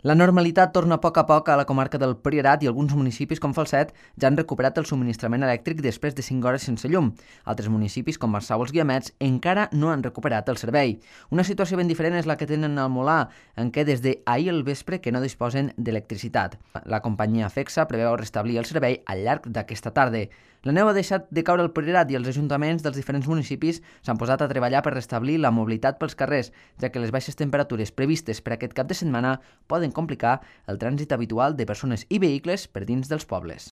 La normalitat torna a poc a la comarca del Priorat i alguns municipis com Falset ja han recuperat el subministrament elèctric després de 5 hores sense llum. Altres municipis com Marçà o els Guiamets encara no han recuperat el servei. Una situació ben diferent és la que tenen al Molar, en què des d'ahir al vespre que no disposen d'electricitat. La companyia FECSA preveu restablir el servei al llarg d'aquesta tarda. La neu ha deixat de caure al Priorat i els ajuntaments dels diferents municipis s'han posat a treballar per restablir la mobilitat pels carrers, ja que les baixes temperatures previstes per aquest cap de setmana poden complicar el trànsit habitual de persones i vehicles per dins dels pobles.